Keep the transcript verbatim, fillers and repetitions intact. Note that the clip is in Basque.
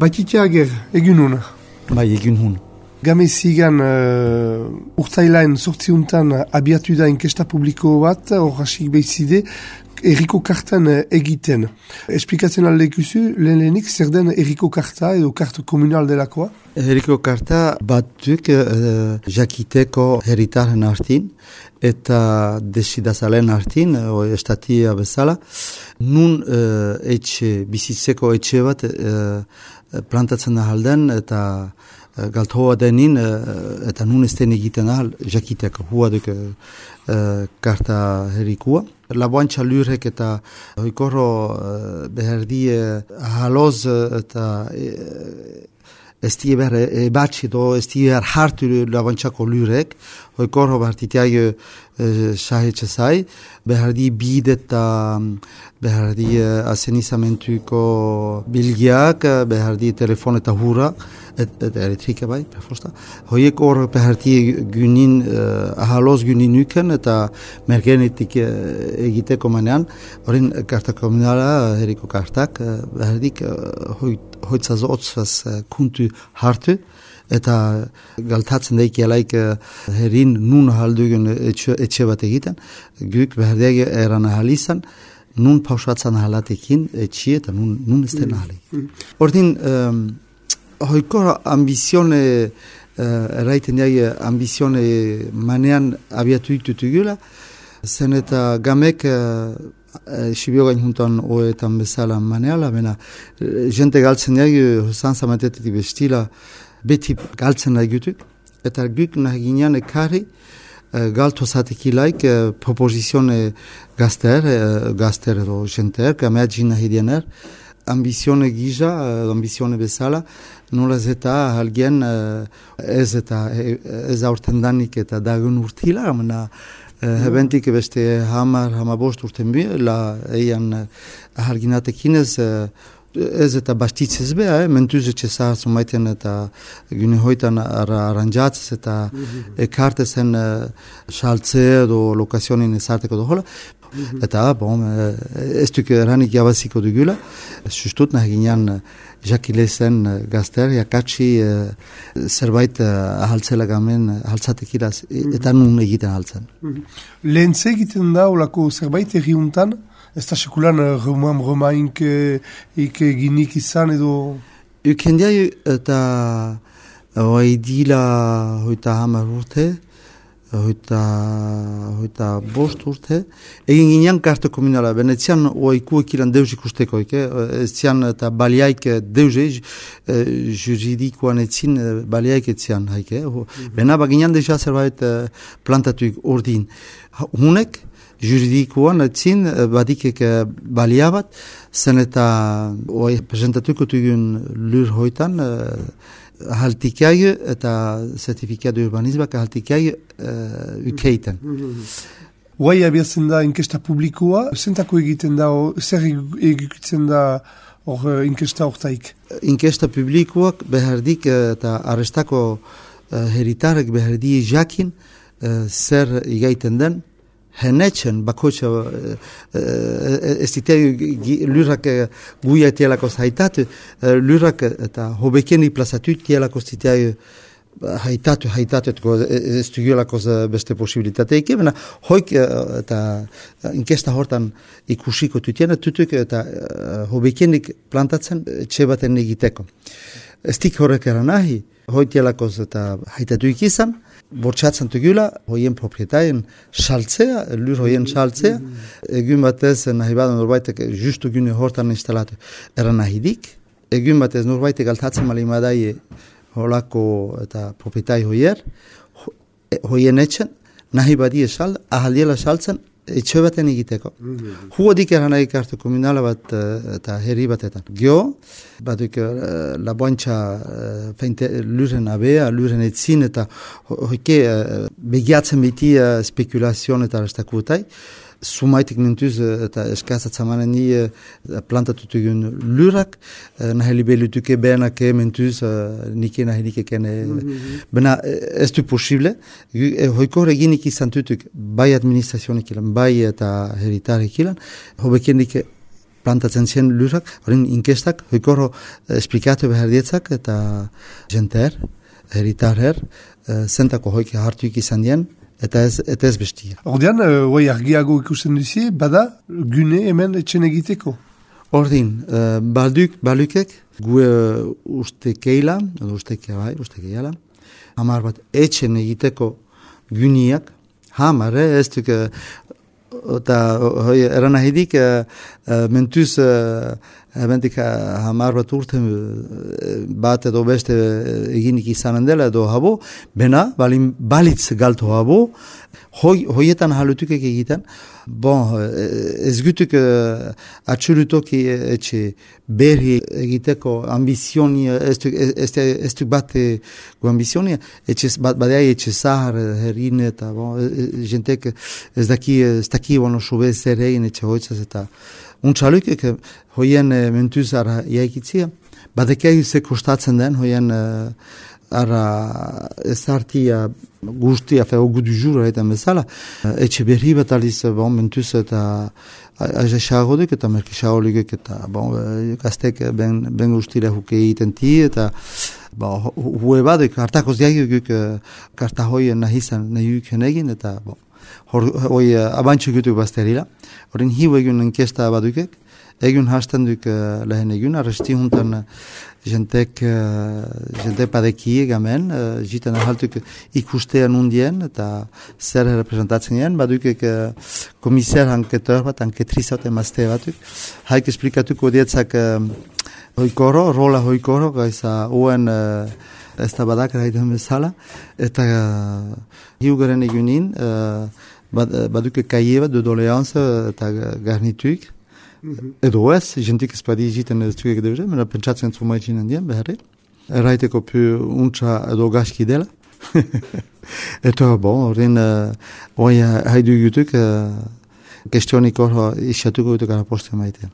Batitia ager, egun hon. Bai, egun hon. Game zigan uh, urtailaen sortziuntan abiatu da inkesta publiko bat, hor hasik behizide, erriko kartan uh, egiten. Esplikatzen aldekuzu, lehen lehenik, zer den erriko karta edo karta komunal delakoa? Erriko karta batzuk uh, jakiteko herritaren hartin, eta desidazalen hartin, o estatia bezala, nun uh, etxe, bizitzeko etxe bat uh, plantatzen da halden, eta uh, galtoa denin, uh, eta nun ez den egiten ahal, jakiteko, hua duk uh, karta herrikua. Laboantxa lurrek eta hoikorro uh, beherdi uh, haloz eta uh, ez die behar ebatxe do, ez die behar hartu laboantxako lurrek, hoikorro behartitiai sahetxe zai, behardi bid eta behardi asenizamentuko bilgiak, behardi telefon eta hurra, eta et elektrika bai, perfosta. Hoiek hor behardi gynin, uh, ahaloz gynin nuken eta mergenetik uh, egiteko manean, horren karta komunala, herriko kartak, uh, behardik uh, hoitzaz otzaz uh, kuntu hartu, eta galtatzen daik jalaik uh, herrin nun haldugun etxe, etxe bat egiten, guk behardiak eran ahalizan, nun pausatzen ahalatekin etxe eta nun, nun ez den ahalik. Ordin, um, hoiko ambizione, uh, erraiten jai ambizione manean abiatu ditutugula, zen eta gamek uh, Sibiogain juntan oetan bezala maneala, bena jente galtzen jai, zanzamatetetik bestila, beti galtzen nahi gutuk, eta guk nahi ginean ekarri uh, galto zatekilaik uh, proposizione gazter, uh, gazter edo jenter, gamea gina hidiener, ambizione gija, uh, ambizione bezala, nolaz eta halgien uh, ez eta ez aurten danik eta dagun urtila, amena uh, hebentik beste hamar, hamabost urten bi, la eian uh, halginatekinez uh, ez eta bastitzez beha, eh? Mentuz etxe zahartzu maiten eta gune hoitan ara, aranjatzez eta mm-hmm. ekartezen uh, saltze edo lokazionin ezarteko dohola. Mm-hmm. Eta, bon, ez duk eranik jabaziko dugula, sustut nahi ginean jakilezen gazter, jakatsi uh, zerbait uh, ahaltzela gamen, ahaltzatekiraz, mm-hmm. eta nun egiten ahaltzen. Mm-hmm. Lehen egiten da, olako zerbait erriuntan, ez da sekulan roman romaink ginik izan edo? Ukendiai eta oai dila hoita hamar urte, hoita, hoita bost urte. Egin ginean karta komunala, benetzian oaiku ekilan deus ikusteko, ez zian eta baliaik deuze, juridikoan etzin baliaik etzian, haike. Mm-hmm. Bena baginean deja zerbait plantatuik ordin. Hunek, juridikoan etzin badikek balia bat, zen eta oai presentatuko tugun lur hoitan, uh, haltikai eta zertifikat urbanizmak haltikai uh, ukeiten. Oai abiatzen da inkesta publikoa, zentako egiten da, zer egiten da hor inkesta hortaik? Inkesta publikoak behardik eta arrestako uh, heritarek behardi jakin uh, zer igaiten den, Henetzen, bakoitza, ez ditea lurrak guia etielako zaitatu, lurrak eta hobekeni plazatu etielako zitea haitatu, haitatu, ez dugiolako beste posibilitateik, bena hoik eta inkesta hortan ikusiko tutien, tutuk eta hobekenik plantatzen etxe baten egiteko. Ez dik horrek eran nahi, hoitielako eta haitatu ikizan, bortxatzen tugula, hoien proprietaien saltzea, lur hoien saltzea, egun batez nahi badan norbaitek justu gune hortan instalatu eran nahidik, egun batez norbaitek altatzen malimadai holako eta proprietai hoier, hoien etxen, nahi badie sal, ahaldiela saltzen, etxe baten egiteko. Mm-hmm. Huodik eran nahi kartu komunala bat eta herri batetan. Gio, batuk uh, laboantxa uh, luren abea, luren etzin eta hoike uh, begiatzen beti uh, spekulazion eta restakutai. Sumaitik nintuz eta eskazatzamanen ni uh, plantatutugun lurak, uh, nahi libelutuke benake mentuz uh, nike nahi nike kene. Mm-hmm. Bena ez du posible. Hoiko reginik izan tutuk bai administrazionik ilan, bai eta heritarik ilan, hobekendik plantatzen ziren lurrak, horren inkestak, hoikorro esplikatu behar dietzak, eta jenter, heritarher, zentako hoik hartuik izan dien, eta ez, eta ez bestia. Ordean, hoi uh, argiago ikusten duzie, bada gune hemen etxen egiteko? Ordin, uh, balduk, balukek, gu uh, uste keila, edo uste keila, uste keila, hamar bat etxen egiteko guniak, hamar, eh, ez duk, eta hoi eran ahidik, uh, uh, mentuz, uh, Ebentik hamar bat urte bat edo beste eginik izanen dela edo habo, bena, balin balitz galto habo, hoi, hoietan halutuk egiten, bon, ez gutuk uh, atxurutok etxe berri egiteko ambizioni, ez duk bat gu ambizioni, etxe, bat badea etxe zahar, herrin eta, bon, jentek ez daki, ez daki, bueno, sobe zer egin etxe hoitzaz eta untxaluk, hoien e, mentuz ara iaikitzia, badekei ze kostatzen den, hoien e, ara ezartia guztia, feo gudu jura eta bezala, etxe berri bat aliz, bon, mentuz eta aiza xagoduk eta merki xagolik eta bon, gaztek ben, ben guztira huke egiten ti, eta bon, hue baduk, hartakoz diagik karta hoien nahizan nahiuk egin, eta bon, hoi abantxu gutuk bazterila. Horren hiu egun enkesta badukek, egun hasten duk uh, lehen egun, arresti juntan uh, jentek, uh, jentek padekie gamen, uh, jiten ahaltuk ikustean undien, eta zer representatzen jen, badukek uh, komisar anketor bat, anketriz haute mazte batuk, haik esplikatuko dietzak uh, hoikoro, rola hoikoro, gaiza uen uh, ez da badak eraiten bezala, eta uh, hiu garen egunin, uh, baduke kaie bat de doleanz eta garnituik. Mm-hmm. Edo ez, jentik ez badi egiten ez duek deure, mena pentsatzen zu maitxinen dien, beharri. Erraiteko pu untsa edo gaski dela. Eta, bon, horren, uh, oi haidu jutuk, uh, kestionik hor isatuko jutuk ara poste maite.